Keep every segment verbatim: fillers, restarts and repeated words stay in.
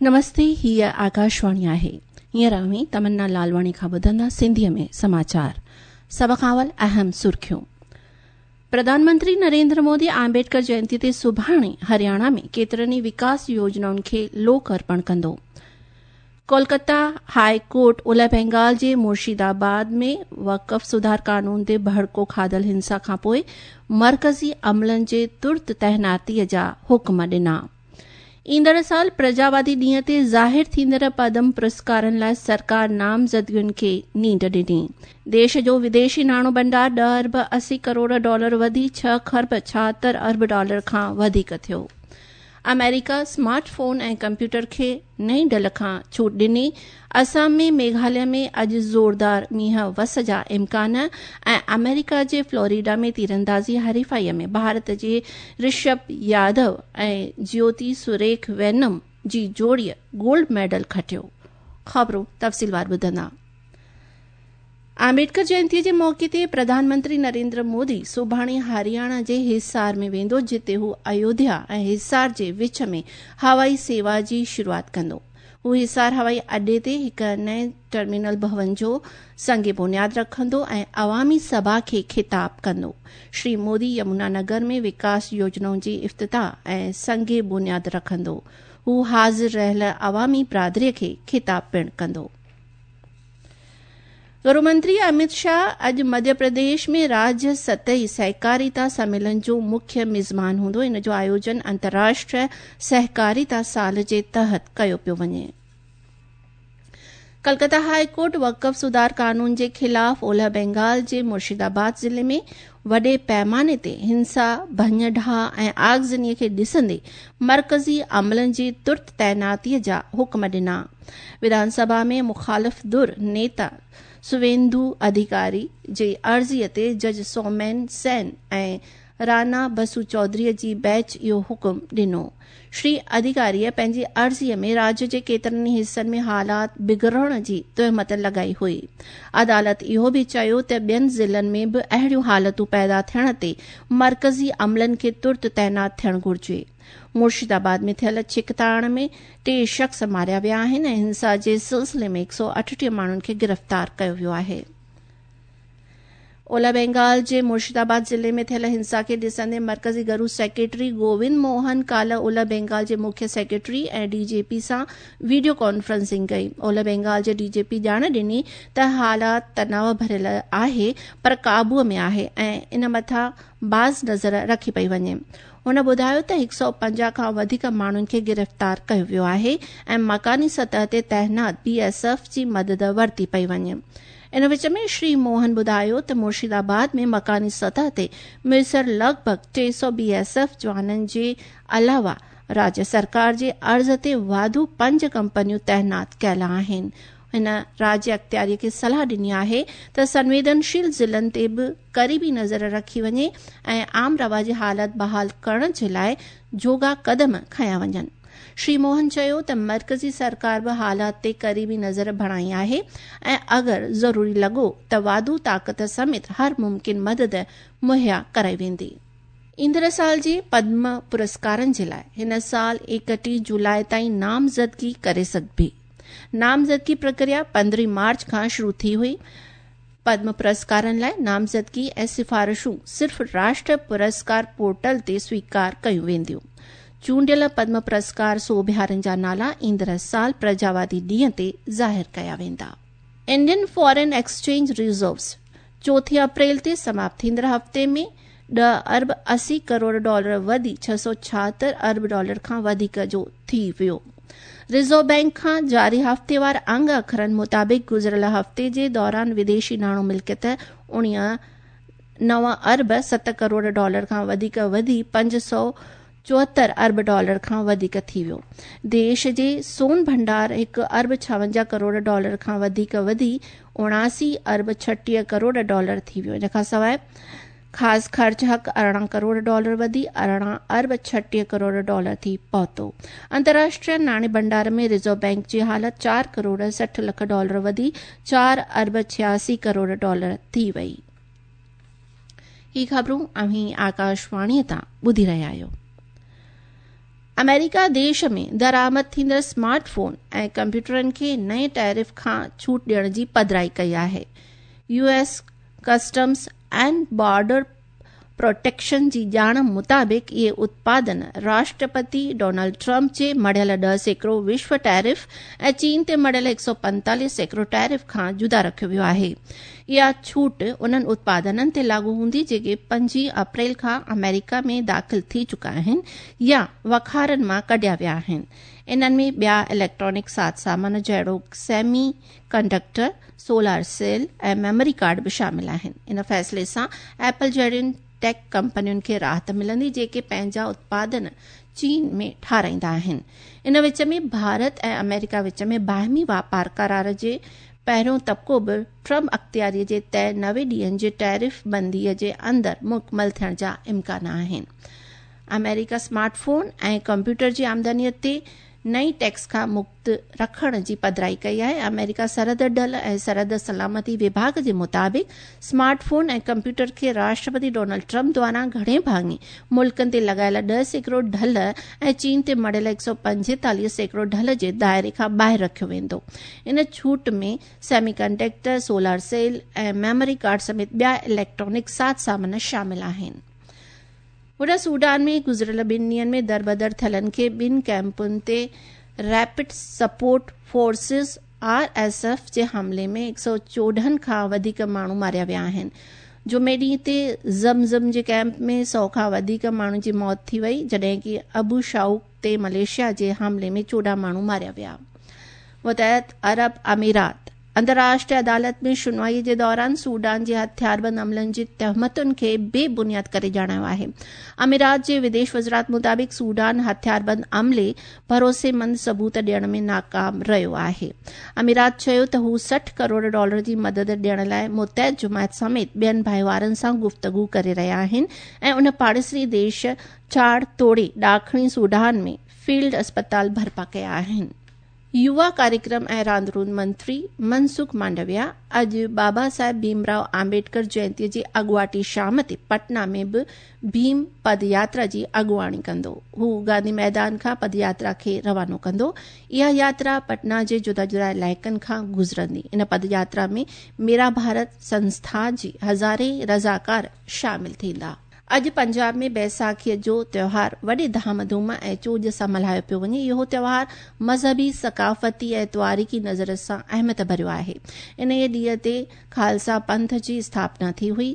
नमस्ते, हीअ आकाशवाणी आहे। हींअर अव्हीं तमन्ना लालवाणी खां ॿुधंदा सिंधीअ में समाचार। सभ खां अवल अहम सुर्खियूं। प्रधानमंत्री नरेंद्र मोदी आंबेडकर जयंती ते सुभाणे हरियाणा में केतिरनि विकास योजनाउनि खे लोक अर्पण कंदो। कोलकाता हाई कोर्ट उलह बंगाल जे मुर्शिदाबाद में वक़फ़ सुधार कानून ते भड़को खाधल हिंसा खां पोइ मर्कज़ी अमलनि जे तुर्त तैनातीअ जा हुक्म ॾिना। ईंदड़ साल प्रजावादी ॾींहं ते ज़ाहिर थींदड़ पद्म पुरस्कारनि लाइ सरकार नामज़दगियुनि खे नींड ॾिनी। देश जो विदेशी नाणो भंडार ॾह अरब असी करोड़ डॉलर वधी छह खरब छाहतरि अरब डॉलर खां वधीक थियो। अमेरिका स्मार्टफोन ऐं कंप्यूटर खे नई ढल खां छूट ॾिनी। असम में मेघालय में अॼु ज़ोरदार मींहं वस जा इम्कान ऐं अमेरिका जे फ्लोरिडा में तीरंदाज़ी हरीफाईअ में भारत जे ऋषभ यादव ऐं ज्योति सुरेख वेनम जी जोड़ीअ गोल्ड मेडल खटियो। ख़बरूं तफ़सीलवार ॿुधंदा। आंबेडकर जयंतीअ जे मौक़े ते प्रधानमंत्री नरेंद्र मोदी सुभाणे हरियाणा जे हिसार में वेंदो, जिते हू अयोध्या ऐं हिसार जे विच में हवाई सेवा जी शुरूआत कंदो। हू हिसार हवाई अॾे ते हिकु नए टर्मिनल भवन जो संग बुनियाद रखंदो ऐं अवामी सभा खे खिताब कंदो। श्री मोदी यमुना नगर में विकास योजनाउनि जी इफ्तिताह ऐं संग बुनियाद रखंदो। हू हाज़िर रहियल अवामी बिरादरीअ खे खिताब पिणु कंदो। गृहमंत्री अमित शाह अॼु मध्य प्रदेश में राज्य सतही सहकारिता सम्मेलन जो मुख्य मिज़मान हूंदो। इन जो आयोजन अंतर्राष्ट्रीय सहकारिता साल जे तहत कयो पियो वञे। कलकत्ता हाई कोर्ट वक़फ़ सुधार कानून जे ख़िलाफ़ ओलह बंगाल जे मुर्शिदाबाद ज़िले में वॾे पैमाने ते हिंसा, भञ ढाह ऐं आगज़नीअ खे ॾिसंदे मर्कज़ी अमलनि जी तुर्त तैनातीअ जा हुक्म ॾिना। विधानसभा में मुखालिफ़ धुर नेता सुवेंदु अधिकारी जे अर्ज़ीअ ते जज सोमेन सेन ऐं राना बसु चौधरीअ जी बेंच इहो हुक्म ॾिनो। श्री अधिकारीअ पंहिंजी अर्ज़ीअ में राज्य जे केतिरनि हिसनि में हालात बिगड़ण जी तोहमत लॻाई हुई। अदालत इहो बि चयो त ॿियनि ज़िलनि में बि अहिड़ियूं हालतूं पैदा थियण ते मर्कज़ी अमलनि खे तुर्त तैनात थियणु घुर्जे। मुर्शिदाबाद में थियल छिकताण में टे शख़्स मारिया विया आहिनि ऐं हिंसा जे सिलसिले में हिकु सौ अठटीह माण्हुनि खे गिरफ़्तार कयो वियो आहे। ओलह बंगाल जे मुर्शिदाबाद ज़िले में थियल हिंसा खे ॾिसंदे मर्कज़ी गरू सेक्रेटरी गोविंद मोहन काल्ह ओलह बंगाल जे मुख्य सेक्रेटरी ऐं डीजीपी सां वीडियो कॉन्फ्रेंसिंग कई। ओलह बंगाल जे डीजीपी ॼाण ॾिनी त हालात तनाव भरियल आहे पर क़ाबूअ में आहे ऐं इन मथां बाज़ नज़र रखी पई वञे। हुन ॿुधायो त हिकु सौ पंजाह खां वधीक माण्हुनि खे गिरफ़्तार कयो वियो आहे ऐं मकानी सतह ते तैनात बी एस एफ जी मदद वरिती पई वञे। इन विच में श्री मोहन ॿुधायो त मुर्शिदाबाद में मकानी सतह ते मुयसर लॻभॻ टे सौ बी एस एफ जवाननि जे अलावा राज्य सरकार जे अर्ज़ ते वाधू पंज कंपनियूं तैनात कयल आहिनि। हिन राज्य अख़्तियारीअ खे सलाह ॾिनी आहे त संवेदनशील ज़िलनि ते बि क़रीबी नज़र रखी वञे ऐं आम रवाजी हालत बहाल करण जे लाइ जोगा कदम खयां वञनि। श्री मोहन चयो त मर्कज़ी सरकार बि हालात ते क़रीबी नज़र बणाई आहे ऐं अगरि ज़रूरी लॻो त वाधू ताक़त समेत हर मुमकिन मदद मुहैया कराई वेंदी। ईंदड़ साल जे पद्म पुरस्कारनि जे लाइ हिन साल एकटीह जुलाई ताईं नामज़दगी करे सघिबी। नामज़दगी प्रक्रिया पंद्रहीं मार्च खां शुरू थी हुई। पद्म पुरस्कारनि लाइ नामज़दगी ऐं सिफारिशूं सिर्फ़ राष्ट्र पुरस्कार पोर्टल ते स्वीकार कयूं वेंदियूं। चूंडियल पद्म पुरस्कार सोभियारनि जा नाला ईंदड़ साल प्रजावादी ॾींहं ते ज़ाहिर कया वेंदा। इंडियन फॉरेन एक्सचेंज रिज़र्व्स चोथीं अप्रैल ते समाप्त थींदड़ हफ़्ते में ॾह अरब असी करोड़ डॉलर वधी छह सौ छाहतरि अरब डॉलर खां वधीक जो थी वियो। रिज़र्व बैंक खां जारी हफ़्तेवार अंग अखरनि मुताबिक़ गुज़िरियल हफ़्ते जे दौरान विदेशी नाणो मिल्कियत उणिवीह नव अरब सत करोड़ डॉलर खां वधीक वधी पंज सौ चोहतरि अरब डॉलर खां वधीक थी वियो। देश जे सोन भंडार हिकु अरब छावंजाह करोड़ डॉलर खां वधीक वधी उणासी अरब छटीह करोड़ डॉलर थी वियो। इन खां सवाइ ख़ासि ख़र्च हक़ अरिड़हं करोड़ डॉलर वधी अरिड़हं अरब छटीह करोड़ डॉलर थी पहुतो। अंतर्राष्ट्रीय नाणे भंडार में रिज़र्व बैंक जी हालत चारि करोड़ सठि लख डॉलर वधी चारि अरब छियासी करोड़ डॉलर थी वई। ही ख़बरूं अव्हीं आकाशवाणीअ तां ॿुधी रहिया आहियो। آمريڪا ديش ۾ درآمد ٿيندڙ اسمارٽ فون ۽ ڪمپيوٽرن کي نئين ٽيرف کان ڇوٽ ڏيڻ جي پڌرائي ڪئي آهي. U S customs and border protection جي ڄاڻ مطابق اهي اتپادن راشٽرپتي ڊونلڊ ٽرمپ جي مڙهيل ڏهه سيڪڙو وشو ٽيرف ۽ چين تي مڙهيل هڪ سؤ پنجيتاليهه سيڪڙو ٽيرف کان جدا رکيو ويو آهي. اها ڇوٽ انهن اتپادنن تي لاڳو هوندي جيڪي پنجويهه اپريل کان آمريڪا ۾ داخل ٿي چڪا آهن يا وکارن مان ڪڍيا ويا آهن. انهن ۾ ٻيا اليڪٽرانڪ ساز سامان جهڙوڪ semiconductor, solar cell ۽ memory card به شامل آهن. ان فيصلي سان ايپل جهڙين ٽيڪ ڪمپنين کي راحت ملندي جيڪي پنهنجا اتپادن چين ۾ ٺاهرائيندا آهن. ان وچ ۾ ڀارت ۽ آمريڪا وچ ۾ باهمي واپار قرار جي پهريون طبقو به ٽرمپ اختياري جي طئي نوي ڏينهن جي ٽيرف بندي جي اندر مڪمل ٿيڻ جا امڪان آهن. آمريڪا اسمارٽ فون ۽ ڪمپيوٽر جي آمدني تي نئين ٽيڪس کان مڪت رکڻ جي پڌرائي ڪئي آهي. آمريڪا سرحد ڍل ۽ سرحد سلامتي وڀاڳ جي مطابق اسمارٽ فون ۽ ڪمپيوٽر کي راشٽرپتي ڊونلڊ ٽرمپ دوارا گهڻي ڀاڱي ملڪن تي لڳايل ڏهه سيڪڙو ڍل ۽ چين تي مڙهيل هڪ سؤ پنجيتاليهه سيڪڙو ڍل جي دائري کان ٻاهر رکيو ويندو. ان ڇوٽ ۾ semiconductor, solar cell ۽ memory card سميت ٻيا اليڪٽرانڪ ساز سامان شامل آهن. هوڏانهن سوڊان ۾ گذريل ٻن ڏينهن ۾ دربدر ٿيلن کي ٻن ڪيمپن تي rapid support forces R S F جي حملي ۾ هڪ سؤ چوڏهن کان وڌيڪ ماڻهو ماريا ويا آهن. جمعي ڏينهن تي زمزم جي ڪيمپ ۾ سؤ کان وڌيڪ ماڻهن جي موت ٿي وئي، جڏهن ڪه ابو شائوڪ تي ملائيشيا جي حملي ۾ چوڏهن ماڻهو ماريا ويا. متحده عرب امارات انترراشٽريه عدالت ۾ شنوائي جي دوران سوڊان جي هٿياربند عملن جي تهمتن کي بي بنياد ڪري ڄاڻايو آهي. امارات جي وديش وزارت مطابق سوڊان هٿياربند عملي ڀروسيمند ثبوت ڏيڻ ۾ ناڪام رهيو آهي. امارات چيو ته هو سٺ ڪروڙ ڊالر جي مدد ڏيڻ لاءِ متحد جماعت سميت ٻين ڀائيوارن سان گفتگو ڪري رهيا آهن ۽ ان پاڙيسري ديش چاڙ توڙي ڏاکڻي سوڊان ۾ فيلڊ اسپتال برپا ڪيا آهن. يووا ڪاريڪرم ۽ راند روند منتري منسک مانڊويا اڄ بابا صاحب ڀيمراو آمبيڊڪر جينتيءَ جي اڳواٽي شام تي پٽنا ۾ به ڀيم پد ياترا جي اڳواڻي ڪندو. هو گانڌي ميدان کان پد ياترا کي روانو ڪندو. اها ياترا پٽنا جي جدا جدا علائقن کان گذرندي. ان پد ياترا ۾ ميرا ڀارت سنسٿا جي هزارين رضاڪار شامل ٿيندا. اڄ پنجاب ۾ بيساکيءَ جو تيوهار وڏي ڌام ڌوم ۽ چوڄ سان ملهايو پيو وڃي. اهو تيوهار مذهبي، ثقافتي ۽ تواريخي نظر سان اهميت ڀريو آهي. انهيءَ ڏينهن تي خالصا پنٿ جي اسٿاپنا ٿي هئي.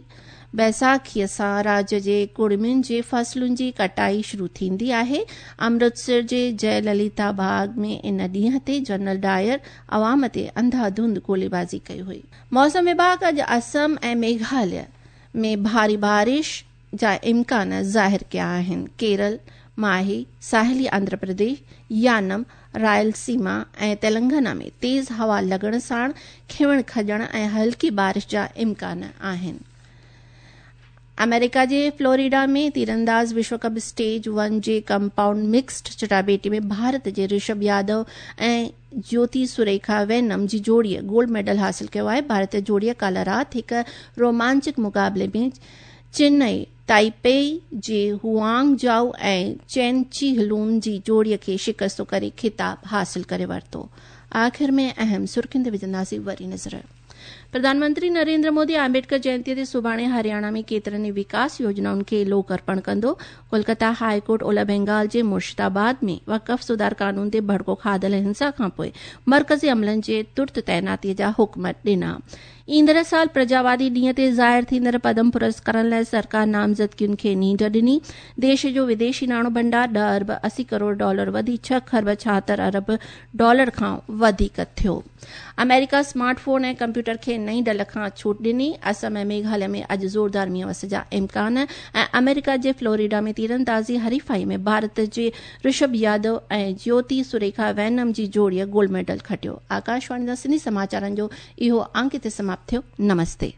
بيساکيءَ سان راجيه جي ڪڙمين جي فصلن جي ڪٽائي شروع ٿيندي آهي. امرتسر جي جئي لليتا باغ ۾ ان ڏينهن تي جنرل ڊائر عوام تي انڌاڌنڌ گوليبازي ڪئي هئي. موسم وڀاڳ اڄ اسم ۽ ميگهاليه ۾ ڀاري بارش جا امڪان ظاهر ڪيا آهن. ڪيرل، ماهي، ساحلي آنڌرا پرديش، يانم، رائلسيما ۽ تيلنگانا ۾ تيز هوا لڳڻ ساڻ کيوڻ کڄڻ ۽ هلڪي بارش جا امڪان آهن. آمريڪا جي فلوريڊا ۾ تيرانداز وشو ڪپ اسٽيج ون جي ڪمپائونڊ مڪسڊ چٽاڀيٽي ۾ ڀارت جي رشڀ يادو ۽ جيوتي سريکا وينم جي جوڙيءَ گولڊ ميڊل حاصل ڪيو آهي. ڀارتيه جوڙيءَ ڪالهه رات هڪ رومانچڪ مقابلي ۾ چنئي تائپي جي هوانگ جائو ۽ چين چي هلون جي جوڙيءَ کي شڪست ڪري خطاب حاصل ڪري ورتو. آخر ۾ اهم سرخين تي وجهنداسين وري نظر. پرڌان منتري نريندر مودي آمبيڊڪر جينتيءَ تي سڀاڻي هرياڻا ۾ ڪيترن ئي وڪاس يوجنائن کي لوڪ ارپڻ ڪندو. ڪولڪتا هاءِ ڪورٽ اولهه بينگال جي مرشدآباد ۾ وقف سڌار قانون تي ڀڙڪو کاڌل هنسا کان پوءِ مرڪزي عملن جي ترت تعيناتيءَ جا حڪم ڏنا. ايندڙ سال پرجاوادي ڏينهن تي ظاهر ٿيندڙ پدم پرسڪارن لاءِ سرڪار نامزدگين کي نينڍ ڏني. ديش جو وديشي ناڻو ڀنڊار ڏهه ارب اسي ڪروڙ ڊالر وڌي ڇهه کرب ڇاهتر ارب ڊالر کان وڌيڪ ٿيو. آمريڪا اسمارٽ فون ۽ ڪمپيوٽر کي نئين ڍل کان ڇوٽ ڏني. اسم ۽ ميگهاليه ۾ اڄ زوردار مينهن وس جا امڪان ۽ آمريڪا جي فلوريڊا ۾ تيراندازي حريفائي ۾ ڀارت جي رشڀ يادو ۽ جيوتي سريکا وينم جي جوڙيءَ گولڊ ميڊل کٽيو. آڪاشواڻي سان سنڌي سماچارن جو اهو انڪ هتي سماپت ٿيو. نمستي.